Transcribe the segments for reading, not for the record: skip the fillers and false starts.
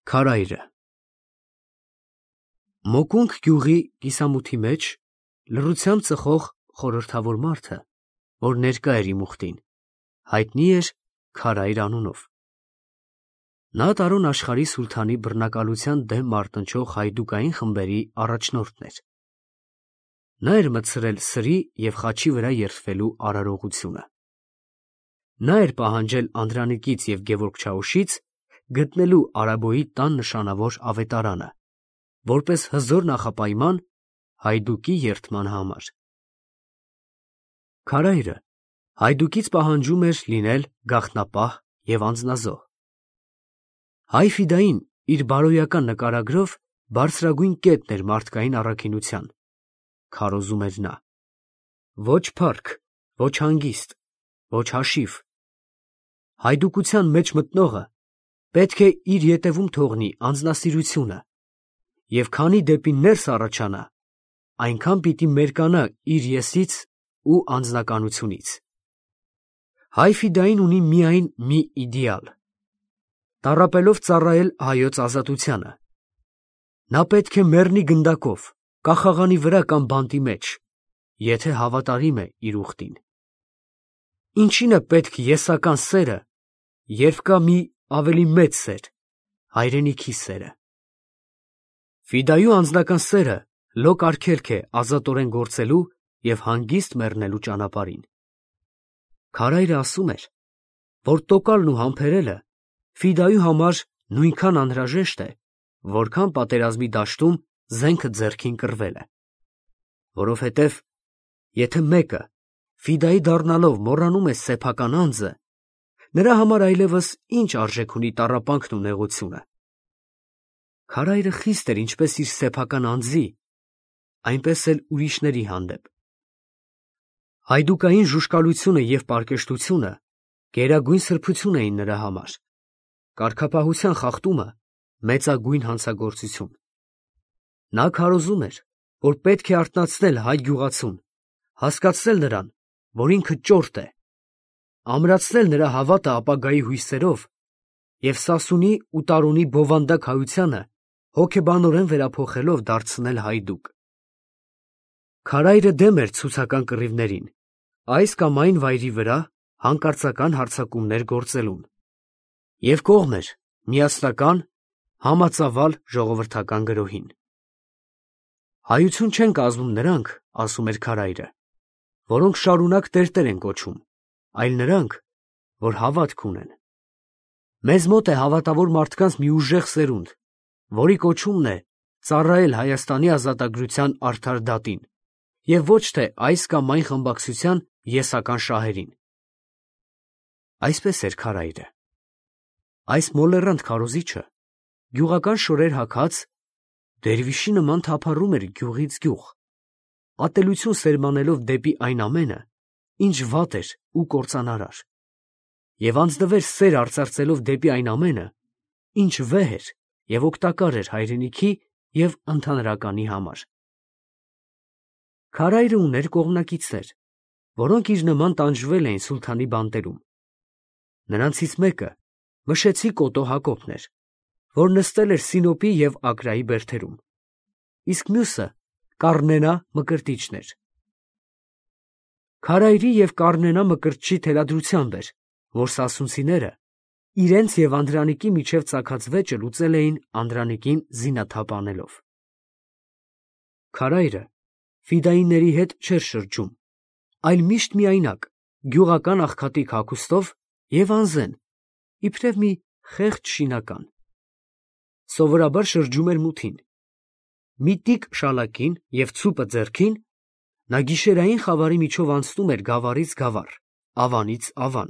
Քարայրը Մոկունք գյուղի կիսամութի մեջ լռությամբ ծխող խորհրդավոր մարդը, որ ներկա էր իմ ուխտին, հայտնի էր Քարայր անունով։ Նա Տարոն աշխարհի սուլթանի բռնակալության դեմ մարտնչող հայդուկային խմբերի առաջնորդն էր։ Նա էր մտցրել սրի և խաչի վրա երդվելու արարողությունը։ Նա էր պահանջել Անդրանիկից և Գևորգ Չաուշից գտնելու Արաբոյի տան նշանավոր ավետարանը, որպես հզոր նախապայման հայդուկի երդման համար։ Քարայրը հայդուկից պահանջում էր լինել գաղտնապահ և անձնազոհ։ Հայ Ֆիդային իր բարոյական նկարագրով բարձրագույն կետն էր մարդկային առաքինության, քարոզում էր նա։ Ոչ փառք, ոչ հանգիստ, ոչ հաշիվ։ Հայդուկության մեջ մտնողը պետք է իր ետևում թողնի անձնասիրությունը, և քանի դեպի ներս առաջանա, այնքան պիտի մերկանա իր եսից ու անձնականությունից։ Հայ Ֆիդային ունի միայն մի իդեալ՝ տառապելով ծառայել հայոց ազատությանը։ Նա պետք է մեռնի գնդակով, կախաղանի վրա կամ բանտի մեջ, եթե հավատարիմ է իր ուխտին։ Ինչին է պետք եսական սերը, երբ կա մի ավելի մեծ սեր՝ հայրենիքի սերը։ Ֆիդայու անձնական սերը լոկ արգելք է ազատորեն գործելու և հանգիստ մեռնելու ճանապարհին։ Քարայրը ասում էր, որ տոկալն ու համբերելը Ֆիդայու համար նույնքան անհրաժեշտ է, որքան պատերազմի դաշտում զենքը ձեռքին կռվելը։ Որովհետև եթե մեկը Ֆիդայի դառնալով մոռանում է սեփական անձը, նրա համար այլևս ինչ արժեք ունի տառապանքն ու նեղությունը։ Քարայրը խիստ էր ինչպես իր սեփական անձի, այնպես էլ ուրիշների հանդեպ։ Հայդուկային ժուժկալությունը և պարկեշտությունը գերագույն սրբություն էին նրա համար, կարգապահության խախտումը մեծագույն հանցագործություն։ Նա քարոզում էր, որ պետք է արթնացնել հայ գյուղացուն, հասկացնել նրան, որ ինքը ճորտ է, ամրացնել նրա հավատը ապագայի հույսերով և Սասունի ու Տարոնի բովանդակ հայությանը հոգեբանորեն վերափոխելով դարձնել հայդուկ։ Քարայրը դեմ էր ցուցական կռիվներին, այս կամ այն վայրի վրա հանկարծական հարձակումներ գործելուն, և կողմ էր միասնական, համածավալ ժողովրդական գրոհին։ Հայություն չեն կազմում նրանք, ասում էր Քարայրը, որոնք շարունակ տերտեր են կոչում, այլ նրանք, որ հավատք ունեն։ Մեզ մոտ է հավատավոր մարդկանց մի ուժեղ սերունդ, որի կոչումն է ծառայել Հայաստանի ազատագրության արդար դատին, և ոչ թե այս կամ այն խմբակցության եսական շահերին։ Այսպես էր Քարայրը։ Այս մոլեռանդ քարոզիչը գյուղական շորեր հագած դերվիշի նման թափառում էր գյուղից գյուղ, ատելություն սերմանելով դեպի այն ամենը, ինչ վատ էր ու կործանարար, և անձնվեր սեր արծարծելով դեպի այն ամենը, ինչ վեհ էր և օգտակար էր հայրենիքի և ընդհանրականի համար։ Քարայրը ուներ կողմնակիցներ, որոնք իր նման տանջվել էին սուլթանի բանտերում։ Նրանցից մեկը Մշեցի Կոտո Հակոբն էր, որ նստել էր Սինոպի և Ակրայի բերդերում, իսկ մյուսը Կառնենա Մկրտիչն էր։ Քարայրի և Կառնենա Մկրտչի թելադրությամբ էր, որ սասունցիները իրենց և Անդրանիկի միջև ծագած վեճը լուծել էին Անդրանիկին զինաթափ անելով։ Քարայրը ֆիդայինների հետ չէր շրջում, այլ միշտ միայնակ, գյուղական աղքատիկ հագուստով և անզեն, իբրև մի խեղճ շինական։ Սովորաբար շրջում էր մութին։ Մի տիկ շալակին և ցուպը ձեռքին, նա գիշերային խավարի միջով անցնում էր գավառից գավառ, ավանից ավան,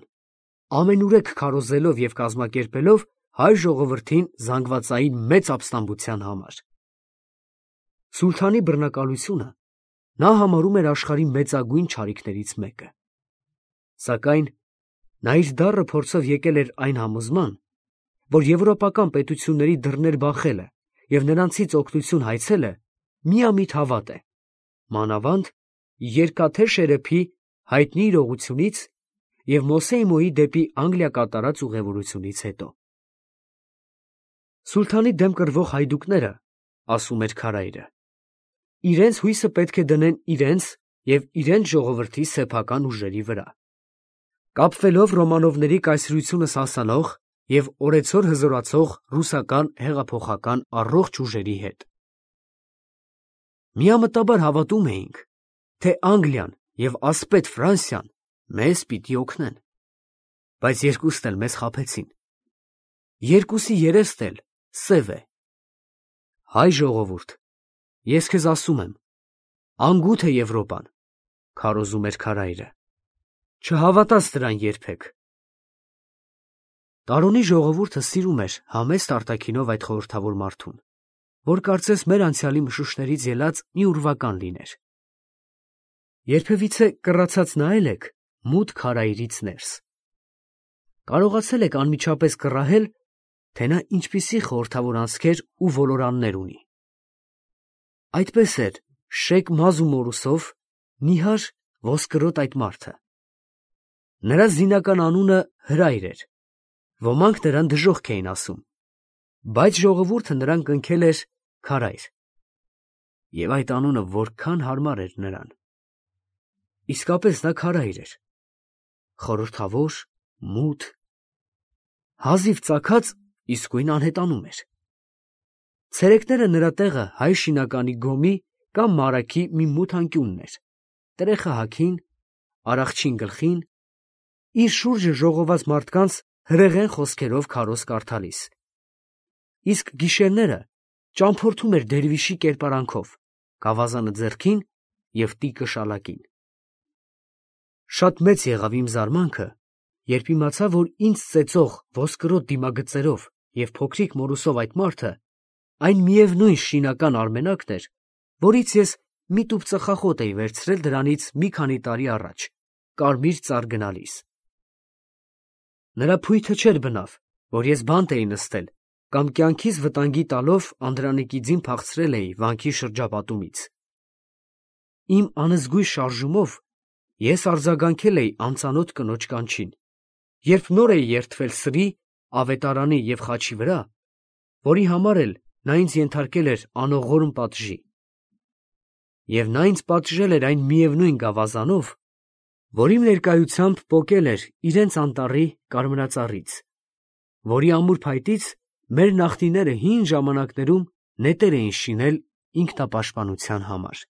ամենուրեք քարոզելով և կազմակերպելով հայ ժողովրդին զանգվածային մեծ ապստամբության համար։ Սուլթանի բռնակալությունը նա համարում էր աշխարհի մեծագույն չարիքներից մեկը։ Սակայն նա իր դառը փորձով եկել էր այն համոզման, որ եվրոպական պետությունների դռներ բախելը և նրանցից օգնություն հայցելը միամիտ հավատ է, մանավանդ երկաթե Շերեփի հայտնի իրողությունից և Մոսեի Մոյի դեպի Անգլիա կատարած ուղևորությունից հետո։ Սուլթանի դեմ կռվող հայդուկները, ասում էր քարայրը, իրենց հույսը պետք է դնեն իրենց և իրենց ժողովրդի սեփական ուժերի վրա, կապվելով Ռոմանովների կայսրությունը սասանող և օրեցօր հզորացող ռուսական հեղափոխական առողջ ուժերի հետ։ Միամտաբար հավատում էինք, թե Անգլիան և ասպետ Ֆրանսիան մեզ պիտի օգնեն, բայց երկուսն էլ մեզ խաբեցին։ Երկուսի երեստ էլ սև է։ Հայ ժողովուրդ, ես քեզ ասում եմ, անգութ է Եվրոպան, քարոզում էր քարայրը, չհավատաս դրան երբեք։ Տարոնի ժողովուրդը սիրում էր համեստ արտաքինով այդ խորհրդավոր մարդուն, որ կարծես մեր անցյալի մշուշներից ելած մի ուրվական լիներ։ Երբևիցե կռացած նայել եք մութ քարայրից ներս։ Կարողացել եք անմիջապես կռահել, թե նա ինչպիսի խորհրդավոր անցքեր ու ոլորաններ ունի։ Այդպես էր շեկ մազ ու մորուսով նիհար ոսկրոտ այդ մարդը։ Նրա զինական անունը Հրայր էր, ոմանք նրան դժոխք էին ասում, բայց ժողովուրդը նրան կնքել էր Քարայր, և այդ անունը որքան հարմար էր նրան։ Իսկապես նա քարայր էր, խորհրդավոր, մութ, հազիվ ծագած իսկույն անհետանում էր։ Ցերեկները նրա տեղը հայ շինականի գոմի կամ մարագի մի մութ անկյունն էր, տրեխը հագին, արախչին գլխին, իր շուրջը ժողոված մարդկանց հրեղեն խոսքերով քարոզ կարդալիս։ Իսկ գիշերները ճամփորդում էր դերվիշի կերպարանքով, գավազանը ձեռքին և տիկը շալակին։ Շատ մեծ եղավ իմ զարմանքը, երբ իմացա, որ ինձ ծեծող ոսկրոտ դիմագծերով և փոքրիկ մորուսով այդ մարդը այն միևնույն շինական Արմենակն էր, որից ես մի տուփ ծխախոտ էի վերցրել դրանից մի քանի տարի առաջ, Կարմիր ծառ գնալիս։ Նրա փույթը չէր բնավ, որ ես բանտ էի նստել կամ կյանքիս վտանգի տալով Անդրանիկի ձին փախցրել էի վանքի շրջապատումից։ Իմ անզգույշ շարժումով ես արձագանքել էի անծանոթ կնոջ կանչին, երբ նոր էի երդվել սրի, ավետարանի և խաչի վրա, որի համար էլ նա ինձ ենթարկել էր անողորմ պատժի։ Եվ նա ինձ պատժել էր այն միևնույն գավազանով, որ իմ ներկայությամբ պոկել էր իրենց անտառի կարմրածառից, որի ամուր փայտից մեր նախնիները հին ժամանակներում նետեր էին շինել ինքնապաշտպանության համար։